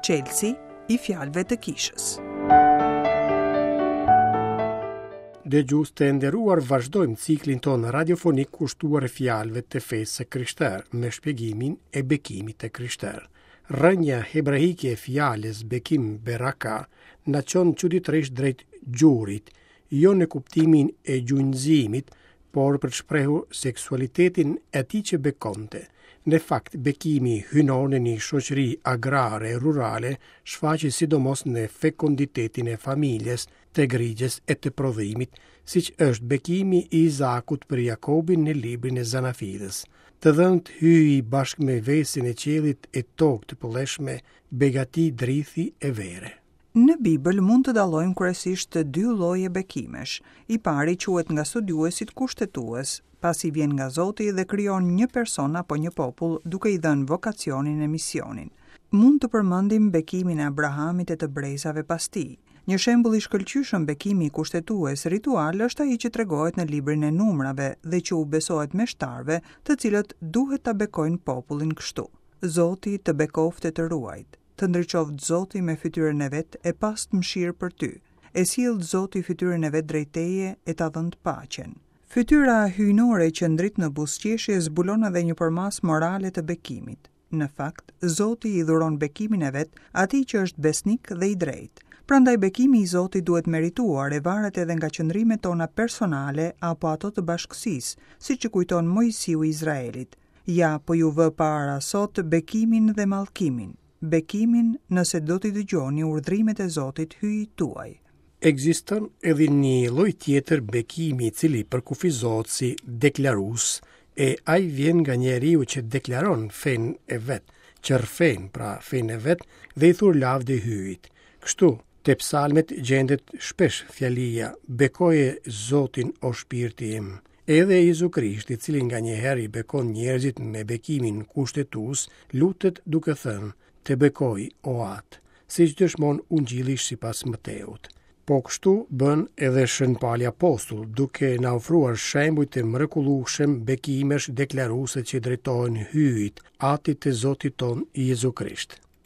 Çelësi i fjalëve të kishës. Dëgjues të nderuar vazhdojmë ciklin tonë radiofonik kushtuar fjalëve të fesë së krishterë me shpjegimin e bekimit të krishterë. Rrënja hebraike e fjalës bekim beraka na çon çuditërisht drejt gjurit, jo në kuptimin e gjunjëzimit, por për të shprehur seksualitetin e atij që bekonte. Në fakt, bekimi hyjnor në një shoqëri agrare e rurale shfaqej sidomos në fekonditetin e familjes, të grigjës e të prodhimit, siç është bekimi i Izakut për Jakobin në librin e Zanafillës. Të dhëntë Hyji bashkë me vesin e qiellit e tokë të pëlleshme, begati drithi e vere. Në Bibël mund të dallojmë kryesisht dy lloje bekimesh. I pari quhet nga studiuesit kushtetues, pasi vjen nga Zoti dhe krijon një person apo një popull duke i dhënë vokacionin e misionin. Mund të përmendim bekimin e Abrahamit e të brezave pas tij. Një shembull i shkëlqyeshëm bekimi kushtetues ritual është ai që tregohet në librin e Numrave dhe që u besohet meshtarëve, të cilët duhet ta bekojnë popullin kështu: Zoti të bekoftë e të ruajtë. Të ndriçoftë Zoti me fytyrën e vet e pastë mëshirë për ty. E sjelltë Zoti fytyrën e vet drejt teje e ta dhëntë paqen. Fytyra hyjnore që ndrit në buzëqeshje zbulon edhe një përmasë morale të bekimit. Në fakt, Zoti i dhuron bekimin e vet atij që është besnik dhe i drejtë. Prandaj bekimi i Zotit duhet merituar e varet edhe nga qëndrimet tona personale apo ato të bashkësisë, siç i kujton Moisiu Izraelit. Ja, po ju vë para sot bekimin dhe mallkimin, bekimin nëse do t'i dëgjoni urdhrimet e Zotit Hyjit tuaj. Ekziston edhe një lloj tjetër bekimi i cili përkufizohet si deklarues, e ai vjen nga njeriu që deklaron fenë e vet, që rrëfen pra fenë e vet dhe i thur lavdi Hyjit. Kështu, te psalmet gjendet shpesh fjalia Bekoje Zotin o shpirti im. Edhe Jezu Krishti, i cili nganjëherë i bekon njerëzit me bekimin kushtetues, lutet duke thënë, Të bekoj, o Atë, siç dëshmon Ungjilli sipas Mateut. Po kështu bën edhe Shën Pali Apostull, duke na ofruar shembuj të mrekullueshëm bekimesh deklaruese që drejtohen Hyjit, Atit të Zotit tonë Jezu Krisht.